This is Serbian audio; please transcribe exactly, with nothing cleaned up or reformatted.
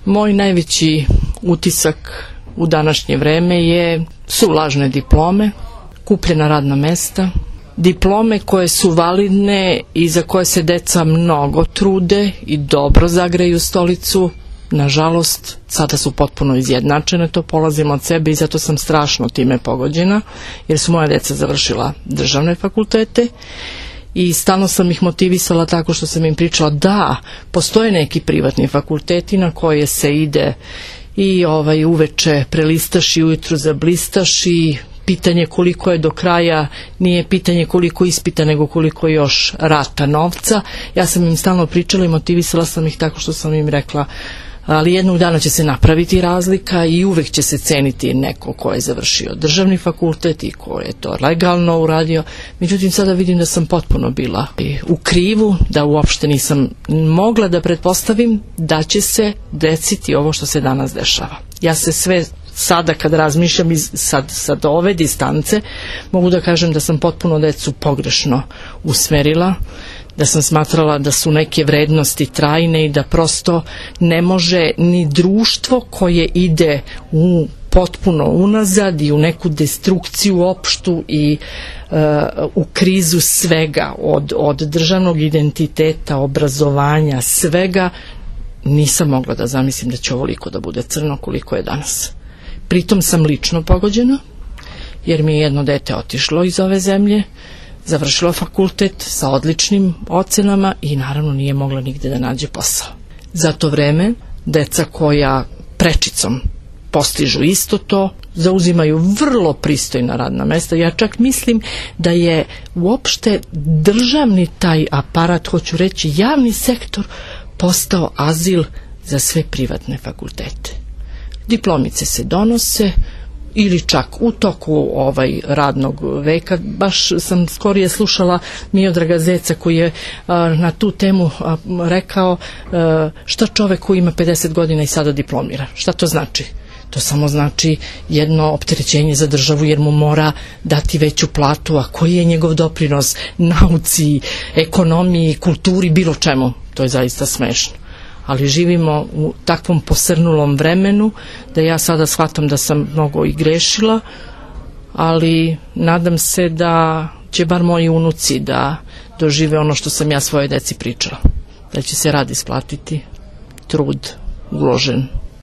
Moj najveći utisak u današnje vreme je, su lažne diplome, kupljena radna mesta, diplome koje su validne i za koje se deca mnogo trude i dobro zagreju stolicu. Nažalost, sada su potpuno izjednačene, to polazim od sebe i zato sam strašno time pogođena, jer su moja deca završila državne fakultete i stalno sam ih motivisala tako što sam im pričala da postoje neki privatni fakulteti na koje se ide i ovaj uveče prelistaš i ujutru zablistaš i pitanje koliko je do kraja nije pitanje koliko ispita nego koliko još rata novca. Ja sam im stalno pričala i motivisala sam ih tako što sam im rekla ali jednog dana će se napraviti razlika i uvek će se ceniti neko ko je završio državni fakultet i ko je to legalno uradio. Međutim, sada vidim da sam potpuno bila u krivu, da uopšte nisam mogla da pretpostavim da će se desiti ovo što se danas dešava. Ja se sve sada kad razmišljam iz, sad, sad ove distance mogu da kažem da sam potpuno decu pogrešno usmerila, da sam smatrala da su neke vrednosti trajne i da prosto ne može ni društvo koje ide u potpuno unazad i u neku destrukciju opštu i uh, u krizu svega od, od državnog identiteta, obrazovanja, svega, nisam mogla da zamislim da će ovoliko da bude crno koliko je danas. Pritom sam lično pogođena, jer mi je jedno dete otišlo iz ove zemlje, završilo fakultet sa odličnim ocenama i naravno nije mogla nigde da nađe posao. Za to vreme deca koja prečicom postižu isto to, zauzimaju vrlo pristojna radna mesta. Ja čak mislim da je uopšte državni taj aparat, hoću reći javni sektor, postao azil za sve privatne fakultete. Diplomice se donose ili čak u toku ovaj radnog veka. Baš sam skorije slušala Miodraga Zeca koji je a, na tu temu a, rekao a, šta čovek koji ima pedeset godina i sada diplomira. Šta to znači? To samo znači jedno opterećenje za državu jer mu mora dati veću platu, a koji je njegov doprinos nauci, ekonomiji, kulturi, bilo čemu. To je zaista smešno. Ali živimo u takvom posrnulom vremenu da ja sada shvatam da sam mnogo i grešila, ali nadam se da će bar moji unuci da dožive ono što sam ja svoje deci pričala. Da će se rad isplatiti, trud uložen